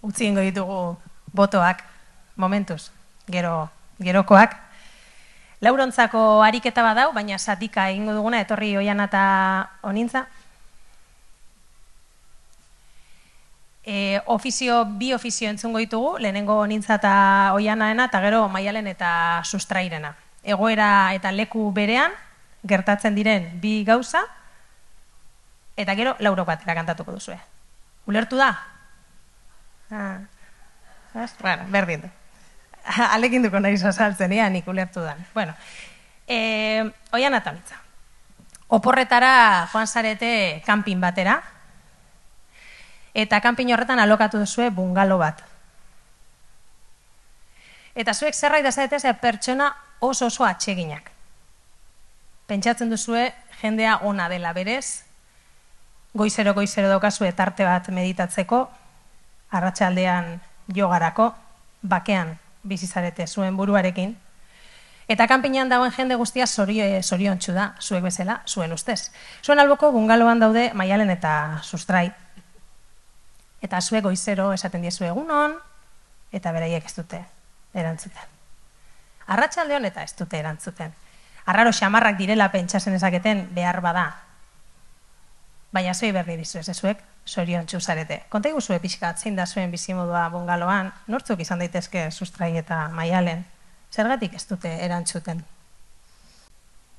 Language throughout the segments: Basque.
utzi ingo ditugu botoak, momentuz, gerokoak. Laurontzako ariketa badau, baina zatika egingo duguna, etorri Oiana eta Onintza. Bi ofizio entzungo ditugu, lehenengo Onintza eta Oianaena, eta gero Maialen eta Sustrairena. Egoera eta leku berean, gertatzen diren bi gauza, eta gero laurok batera kantatuko duzue. Ulertu da? Bueno, berdin du. Alekin duko nahi azaltzen, nik ulertu da. Bueno, Oiana eta Onintza. Oporretara joan zarete kanpin batera, eta kanpin horretan alokatu duzue bungalo bat. Eta zuek zerbait da zarete pertsona oso atseginak. Pentsatzen duzue jendea ona dela berez, goizero daukazue tarte bat meditatzeko, arratsaldean jogarako, bakean bizizarete zuen buruarekin, eta kanpinean dagoen jende guztia zoriontsu da, zuek bezala, zuen ustez. Zuen alboko bungaloan daude Maialen eta Sustrai, eta zuek goizero esaten diezu egunon, eta beraiek ez dute erantzuten. Arratsaldean eta ez dute erantzuten. Arraro xamarrak direla pentsatzen ezaketen behar bada. Baina zuei berri dizu ez zuek, zoriontsu zarete. Konta iguzue pixkat, zein da zuen bizimodua bungaloan, nortzuk izan daitezke Sustrai eta Maialen. Zergatik ez dute erantzuten?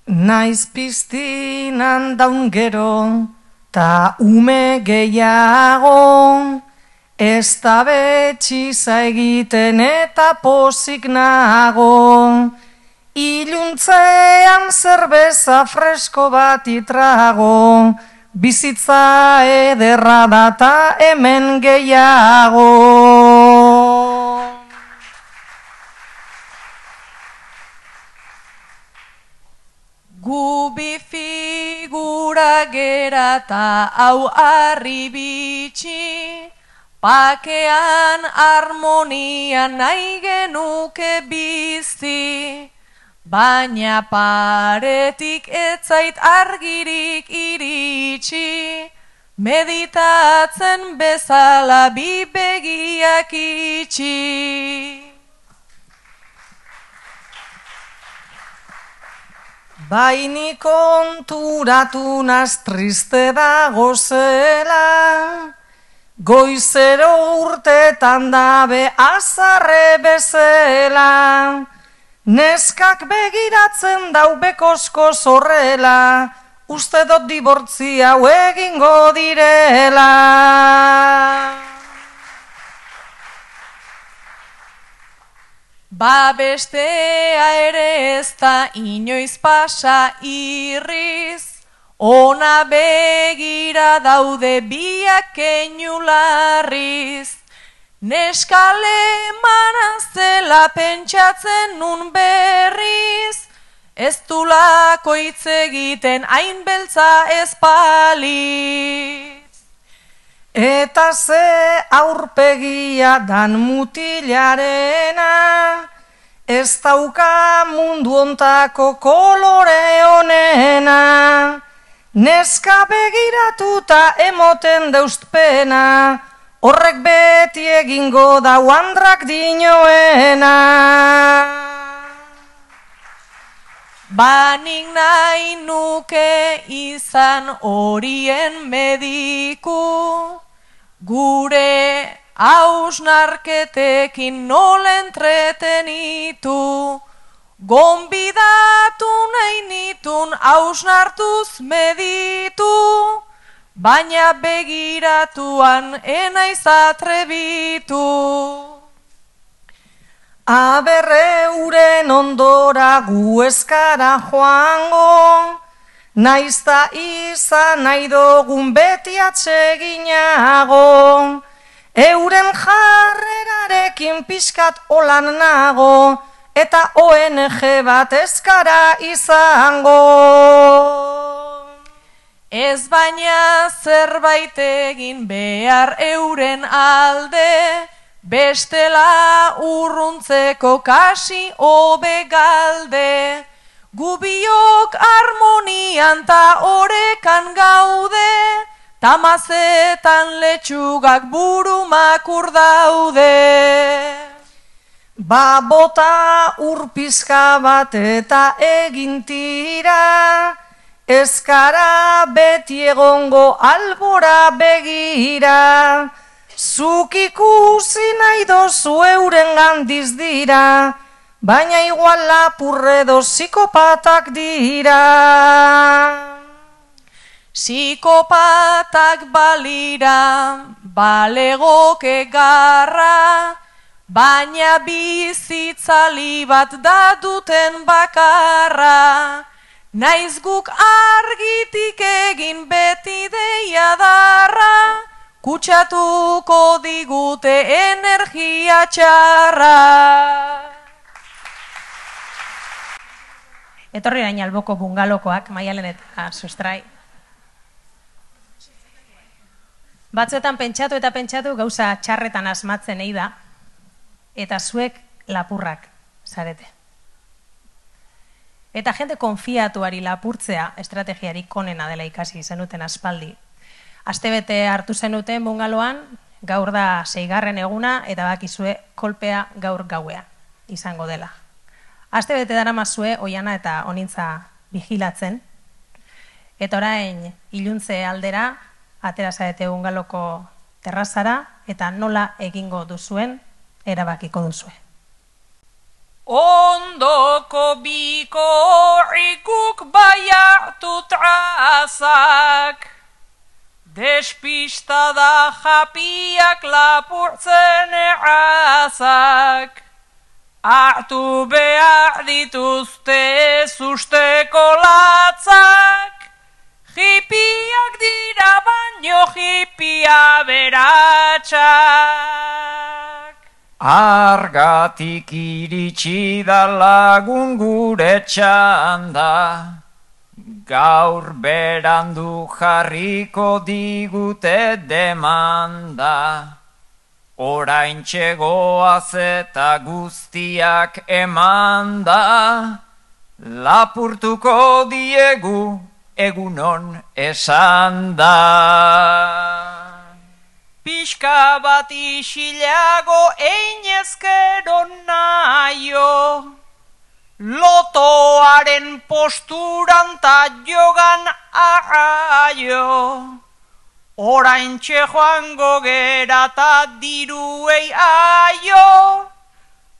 Naiz piztinan daun gero, ta ume gehiago, ez da betxiza egiten eta pozik nago. Iluntzean zerbeza fresko bat itrago, bizitza ederra data hemen gehiago. Gu bi figura gera ta hau harri bitxi, pakean harmonian nahi genuke bizi. Baina paretik etzait argirik iritsi, meditatzen bezala bi begiak itxi. Baini konturatu naz triste dago zela, goizero urtetan dabe azarre bezela. Neskak begiratzen dau bekosko zorrela, uste dut dibortzi hau egingo direla. Ba bestea ere ez da inoiz pasa irriz, ona begira daude biak keinularriz. Neskale manazela pentsatzen nun berriz, ez dulako hitz egiten hain beltza ez paliz. Eta ze aurpegia dan mutilarena, ez dauka mundu ontako kolore honena. Neska begiratuta emoten deustpena, horrek beti egingo da uandrak dinoena. Banik nahi nuke izan horien mediku, gure hausnarketekin nola entretenitu. Gonbidatu nahi nitun hausnartuz meditu, baina begiratuan enaiz atrebitu. Aberreuren ondora gu eskara joango, naizta izan nahi dogun beti atseginago. Euren jarrerarekin pixkat olan nago, eta ONG bat eskara izango. Ez baina zerbait egin behar euren alde, bestela urruntzeko kasi hobe galde. Gubiok harmonian ta orekan gaude, tamazetan letxugak burumakur daude. Ba bota urpizka bat eta egin tira, ezkara beti egongo albora begira, zuk ikusi nahi dozu euren gandiz dira, baina igual lapurre edo psikopatak dira. Psikopatak balira, balegoke garra, baina bizitzali bat da duten bakarra. Naiz guk argitik egin beti deia darra, kutsatuko digute energia txarra. Etorri orain alboko bungalokoak, Maialen eta Sustrai. Batzuetan pentsatu eta pentsatu gauza txarretan asmatzen ei da, eta zuek lapurrak zarete. Eta jende konfiatuari lapurtzea estrategiarik onena dela ikasi zenuten aspaldi. Astebete hartu zenuten bungaloan, gaur da 6. eguna, eta bakizue kolpea gaur gauea izango dela. Astebete daramazue oiana eta onintza vigilatzen, eta orain iluntze aldera, atera zarete bungaloko terrazara, eta nola egingo duzuen, erabakiko duzue. Ondoko biko horrikuk bai hartu trazak, despistada japiak lapurtzen errazak, hartu behar dituzte zusteko latzak, hipiak dira baino hipia beratxak. Argatik iritsi da lagun gure txanda, gaur berandu jarriko digute demanda. Oraintxe goaz eta guztiak emanda, lapurtuko diegu egunon esan da. Pixka bat isilago einezkero naio, lotoaren posturan ta jogan arraio. Oraintxe joango gera ta diruei aio,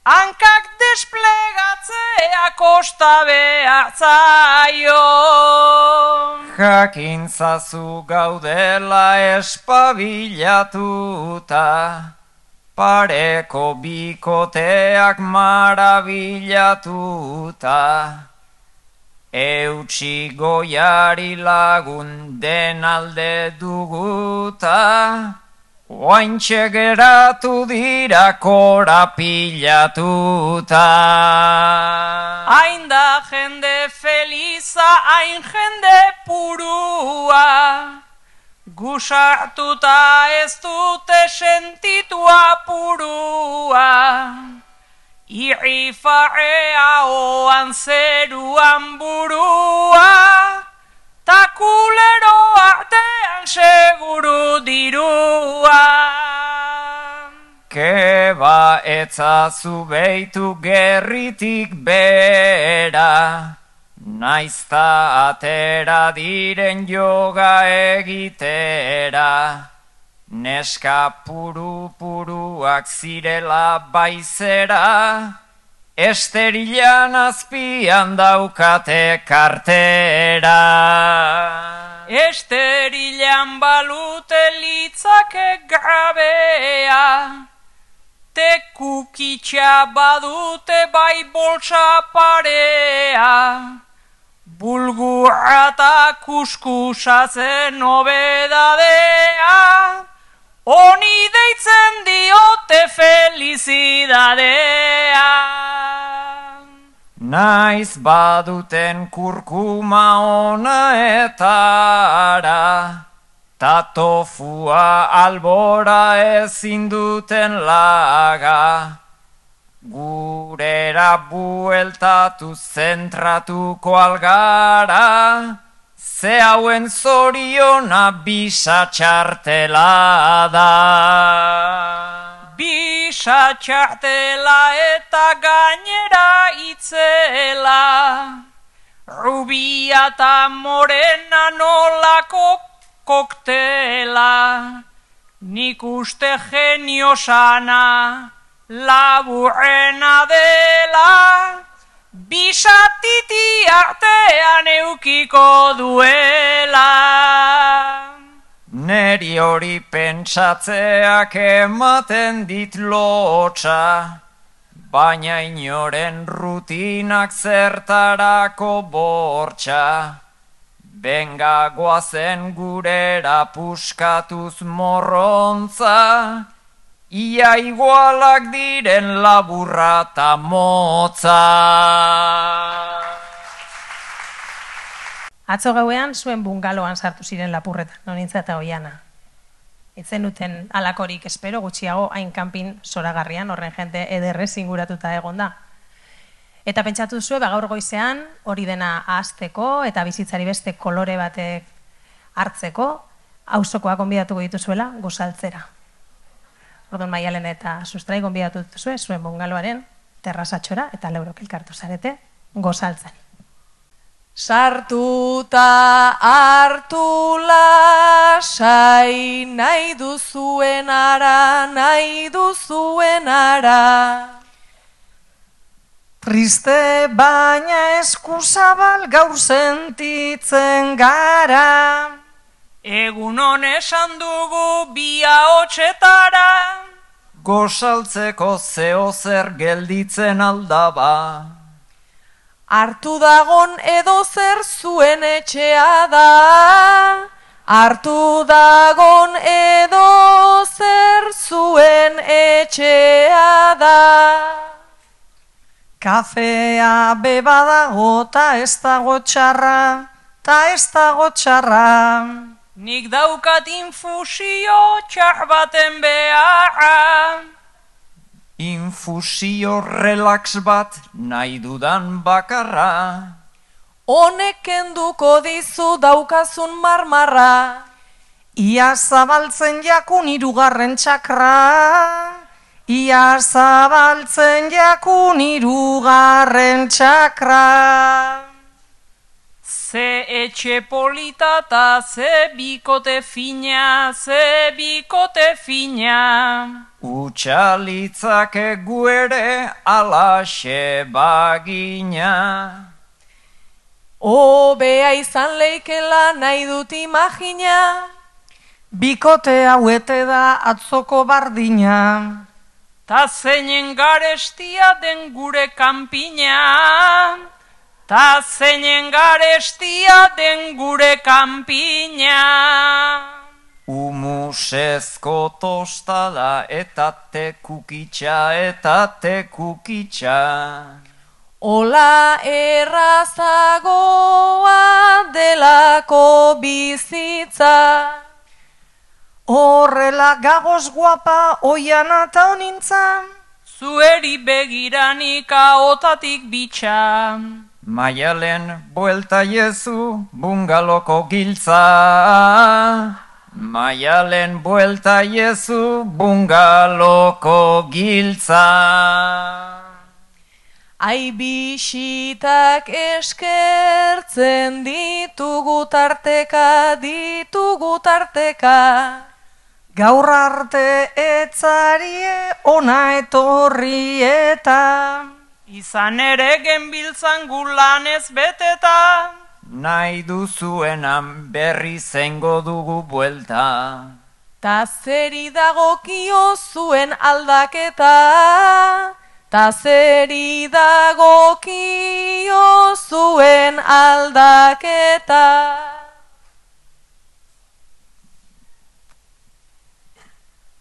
hankak desplegatzea kosta behar zaio. Jakintzazu gaudela espabilatuta, pareko bikoteak marabilatuta. Eutsi goiari lagun den alde duguta, oaintxe geratu dira korapilatuta. Hain da jende feliza, hain jende purua, gusartuta ez dute sentitu apurua. Irrifarea oan zeruan burua, ta kulero artean seguru dirua. Keba etzazu beitu gerritik bera, naizta atera diren yoga egitera. Neska puru-puruak zirela baizera, esterilan azpian daukate kartera. Esterilan balute litzake grabea, tekukitxa badute bai boltsa parea. Bulgurra eta kuskusatzen nobedadea, honi deitzen diote felizidadea. Naiz baduten kurkuma ona etara, ta tofua albora ezin duten laga. Gurera bueltatu zentratuko algara, ze hauen zoriona bisa txartela da. Bisa txartela eta gainera itzela, rubia eta morena nolako koktela, nik uste genio sana laburrena dela, bisatiti artean eukiko duela. Neri hori pentsatzeak ematen dit lotxa, baina inoren rutinak zertarako bortxa. Benga goazen gurera puskatuz morrontza, ia igualak diren laburra ta motza. Atzo gauean zuen bungaloan sartu ziren lapurretan, Nonintza eta Oiana. Etzen duten alakorik espero, gutxiago hain kanpin zoragarrian, horren jente ederrez inguratuta egon da. Eta pentsatu zuen, gaur goizean, hori dena ahazteko eta bizitzari beste kolore batek hartzeko, auzokoak gonbidatuko dituzuela gozaltzera. Orduan Maialen eta Sustrai gonbidatu dituzue zuen bungaloaren terrazatxora eta laurok elkartu zarete gozaltzen. Sartuta hartu lasai, nahi duzuen ara. Triste baina eskuzabal gaur sentitzen gara. Egun hon esan dugu bi ahotsetara, Gozaltzeko zeo zer gelditzen aldaba. Hartu dagon edo zer zuen etxea da. Hartu dagon edo zer zuen etxea da. Kafea beba dago ta ez dago txarra, nik daukat infusio txar baten beharra. Infusio relax bat nahi dudan bakarra. Honek kenduko dizu daukazun marmarra. Ia zabaltzen jakun hirugarren txakra. Ia zabaltzen jakun hirugarren txakra. Ze etxe polita ta ze bikote fina, Utxalitzake guere alaxe bagina. Hobea izan leikela nahi dut imagina. Bikote hauete da atzoko bardina. ta zeinen garestia den gure kanpina. Humusezko tostada eta tekukitxa. Ola errazagoa delako bizitza. Horrela gagoz guapa Oiana eta Onintza. Zueri begiranik ahotatik bitxa. Maialen buelta jezu bungaloko giltza. Maialen buelta jezu bungaloko giltza. Ai bisitak eskertzen ditugu tarteka. Gaur arte etzarie ona etorri eta. Izan ere genbiltzan gulanez beteta. Nahi duzuenan berri zengo dugu buelta. Ta zeri dagokio zuen aldaketa.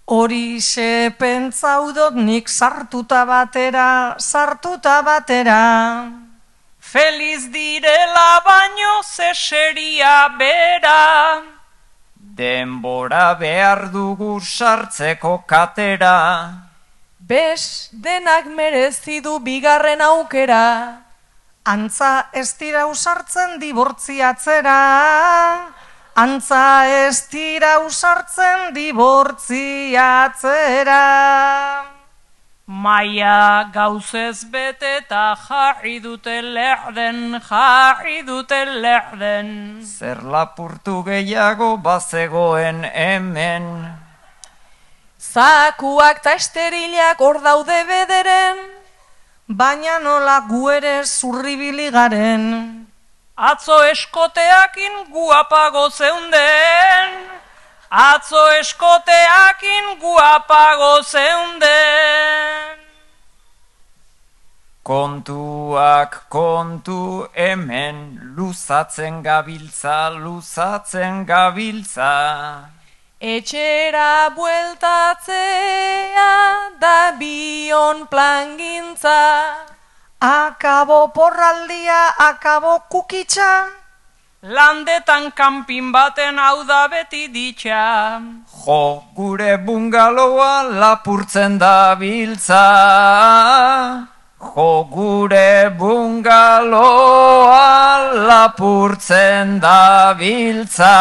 Horixe pentsaudot nik sartuta batera. Feliz direla baino ze seria bera. Denbora behar dugu sartzeko katera. Bes denak merezi du bigarren aukera. Antza ez dira usartzen dibortziatzera, antza ez dira usartzen dibortziatzera. Maia gauzez bete eta jarri dute lerden. Zer lapurtu gehiago bazegoen hemen. Zakuak ta esterilak hor daude bederen, Baina nola gu ere zurribili garen. Atzo eskoteakin guapago zeunden. Kontuak kontu hemen, luzatzen gabiltza. etxera bueltatzea da bion plangintza. Akabo porraldia, akabo kukitza. Landetan kanpin baten hau da beti ditxa. Jo, gure bungaloa lapurtzen dabiltza. Jo, gure bungaloa lapurtzen dabiltza.